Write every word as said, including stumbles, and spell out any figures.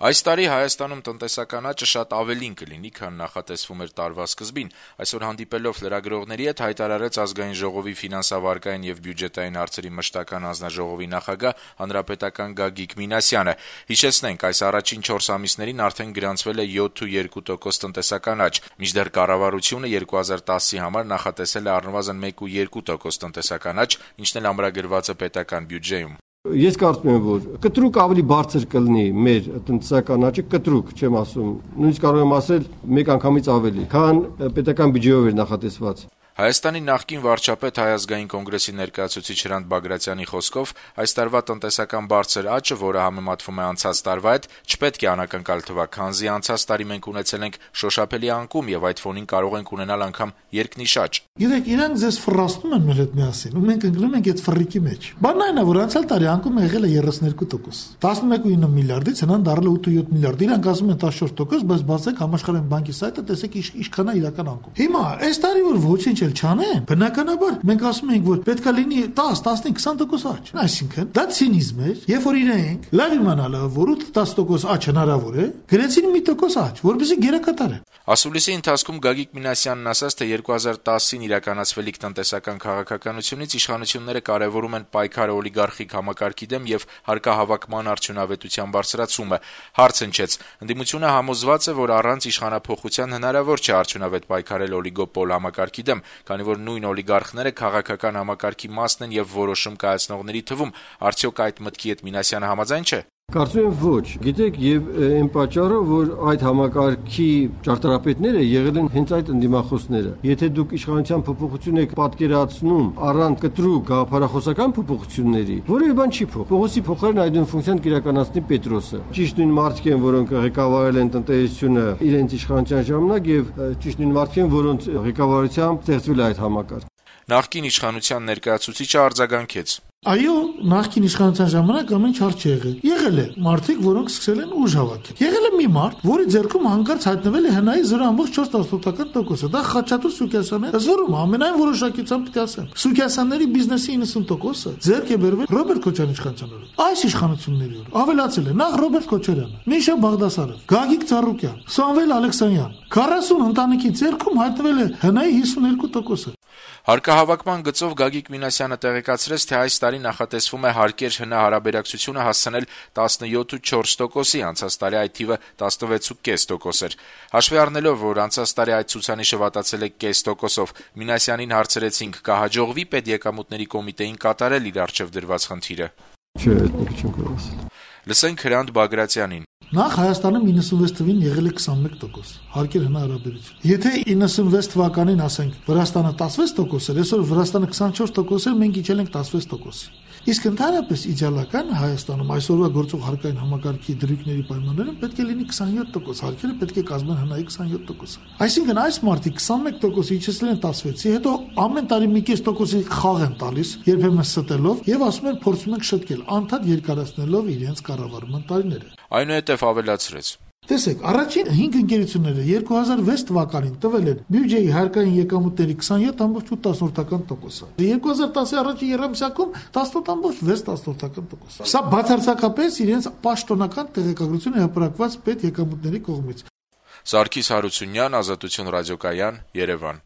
Այս տարի Հայաստանում տնտեսական աճը շատ ավելին կլինի, քան նախատեսվում էր տարվա սկզբին, այսօր հանդիպելով լրագրողների հետ հայտարարեց Ազգային ժողովի ֆինանսավարկային եւ բյուջետային հարցերի մշտական հանձնաժողովի նախագահ հանրապետական Գագիկ Մինասյանը։ Հիշեցնենք, այս առաջին չորս ամիսներին արդեն գրանցվել է յոթ փուլք երկու տոկոս տնտեսական աճ, մինչդեռ կառավարությունը երկու հազար տասի համար նախատեսել է առնվազն մեկ փուլք երկու տոկոս տնտեսական աճ, ինչն էլ ամրագրված է պետական բյուջեում։ Ես կարծում եմ, որ կտրուկ ավելի բարձր կլինի մեր տնտեսական աճը, կտրուկ, չեմ ասում, նույնիսկ կարող եմ ասել մեկ անգամից ավելի, քան պետական բյուջեով էր նախատեսված։ Հայաստանի նախկին վարչապետ Հայ ազգային կոնգրեսի ներկայացուցիչ Հրանտ Բագրատյանի խոսքով այս տարվա տնտեսական բարձր աճը, որը համեմատվում է անցած տարվա հետ, չպետք է անակնկալ թվա, քանզի անցած տարի մենք ունեցել ենք շոշափելի անկում եւ այդ ֆոնին կարող ենք ունենալ անգամ երկնիշ աճ։ Գիտեք, իրանք ձեզ ֆռաստում են մեր հետ միասին, ու մենք ընկնում ենք այդ ֆռիկի մեջ։ Բանն այն է, որ անցյալ տարի անկումը եղել է երեսներկու տոկոս։ տասնմեկ փուլք ինը միլիարդից հնան դառել է ութ փուլք յոթ միլիարդ։ Իրանք ասում են տասնչորս տոկոս, բայց բացեք համաշխարհային բանկի սայթը, տեսեք ինչքան է իրական անկում։ Հիմա այս տարի որ ոչինչ էլ չանեն, բնականաբար մենք ասում ենք, որ պետք է լինի դես, տասնինը, քսան տոկոս աճ։ Այսինքն դա ցինիզմ է, երբ որ իրենք լավ իմանալը, որ ութ դես տոկոս աճ հնարավոր է, գրեցին մի տոկոս աճ, որպեսզի գերակատարեն։ Ասուլիսի ընթացքում Գագիկ Մինասյանն ասաց, թե երկու հազար տասին իրականացվելիք տնտեսական քաղաքականությունից իշխանությունները կարևորում են պայքարը օլիգարխիկ համակարգի դեմ եւ հարկահավաքման արդյունավետության բարձրացումը։ Հարց հնչեց. ընդդիմությունը համոզված է, որ առանց իշխանափոխության հնարավոր չէ արդյունավետ պայքարել օլիգոպոլ համակարգի դեմ, քանի որ նույն օլիգարխները քաղաքական համակարգի մասն են եւ որոշում կայացնողների թվում։ Արդյոք այդ մտքի հետ Մինասյանը համաձայն չէ։ Կարծում եմ ոչ, գիտեք, եւ այն պատճառը, որ այդ համակարգի ճարտարապետները եղել են հենց այդ ընդդիմախոսները։ Եթե դուք իշխանության փոփոխություն եք պատկերացնում առանց կտրուկ գաղափարախոսական փոփոխությունների, որևէ բան չի փոխ։ Փողոցի փոխարեն այդ ֆունկցիան կիրականացնի Պետրոսը։ Ճիշտ նույն մարդիկ են, որոնք ղեկավարել են տնտեսությունը իրենց իշխանության ժամանակ եւ ճիշտ նույն մարդիկ են, որոնց ղեկավարությամբ ստեղծվել է այդ համակարգը։ Նախկին իշխանության ներկայացուցիչը արձագանքեց. Այո, նախկին իշխանության ժամանակ ամեն ինչ հարց չի եղել։ Եղել է մարդիկ, որոնք սկսել են ուժ հավաքել։ Եղել է մի մարդ, որի ձեռքում հանկարծ հայտնվել է հնայի զրո ամբողջ չորս տասնութ տոկոսը։ Դա Խաչատուր Սուքիասյանն է, ըստ ամենայն որոշակիությամբ պետք է ասեմ։ Սուքիասյանների բիզնեսի իննսուն տոկոսը ձեռք է բերվել Ռոբերտ Քոչարյանի իշխանության օրոք։ Այս իշխանությունների օրոք ավելացել է նախ Ռոբերտ Քոչարյանը, Միշա Բաղդասարյանը, Գագիկ Ծառուկյան, Սամվել Ալեքսանյան, քառասուն ընտանիքի ձեռքում հայտնվել է հնայի հիսունհինգ տոկոսը։ Հարկահավաքման գծով Գագիկ Մինասյանը տեղեկացրեց, թե այս տարի նախատեսվում է հարկեր-հնա հարաբերակցությունը հասցնել տասնյոթ փուլք չորս տոկոսի, անցած տարի այդ թիվը տասնվեց փուլք կես տոկոս էր։ Հաշվի առնելով, որ անցած տարի այդ ցուցանիշը վատացել է կես տոկոսով, Մինասյանին հարցրեցինք, կհաջողվի պետեկամուտների կոմիտեին կատարել իր առջև դրված խնդիրը։ Չէ, այդպես չեմ կարող ասել։ Լսենք Հրանտ Բագրատյանին։ Նախ Հայաստանում իննսունվեց թվին եղել է քսանմեկ տոկոս հարկեր հնարավորություն։ Եթե իննսունվեց թվականին ասենք Վրաստանը տասնվեց տոկոս էր, այսօր Վրաստանը քսանչորս տոկոս էր, մենք իջել ենք տասնվեց տոկոսի։ Իսկ ընդհանրապես իդեալական Հայաստանում այսօրվա գործող հարկային համակարգի դրույթների պայմաններում պետք է լինի քսանյոթ տոկոս, հարկերը պետք է կազմեն հնայի քսանյոթ տոկոսը։ Այսինքն այս մարդիկ քսանմեկ տոկոս իջեցրել են տասնվեցի, հետո ամեն տարի մի կես տոկոսի խաղ են տալիս, երբեմն ստելով եւ ասում են փորձում ենք շտկել, անդադ երկարացնելով իրենց կառավարման տարիները։ Այնուհետև ավելացրեց. Տեսեք, առաջին հինգ ընկերությունները երկու հազար վեց թվականին տվել են բյուջեի հարկային եկամուտների քսանյոթ ամբողջ ութ տոկոսը։ երկու հազար տասի առաջին երամսյակում տասնութ ամբողջ վեց տոկոս։ Սա բացարձակապես իրենց պաշտոնական տեղեկագրությունը հրապարակված պետ եկամուտների կողմից։ Սարգիս Հարությունյան, Ազատություն ռադիոկայան, Երևան։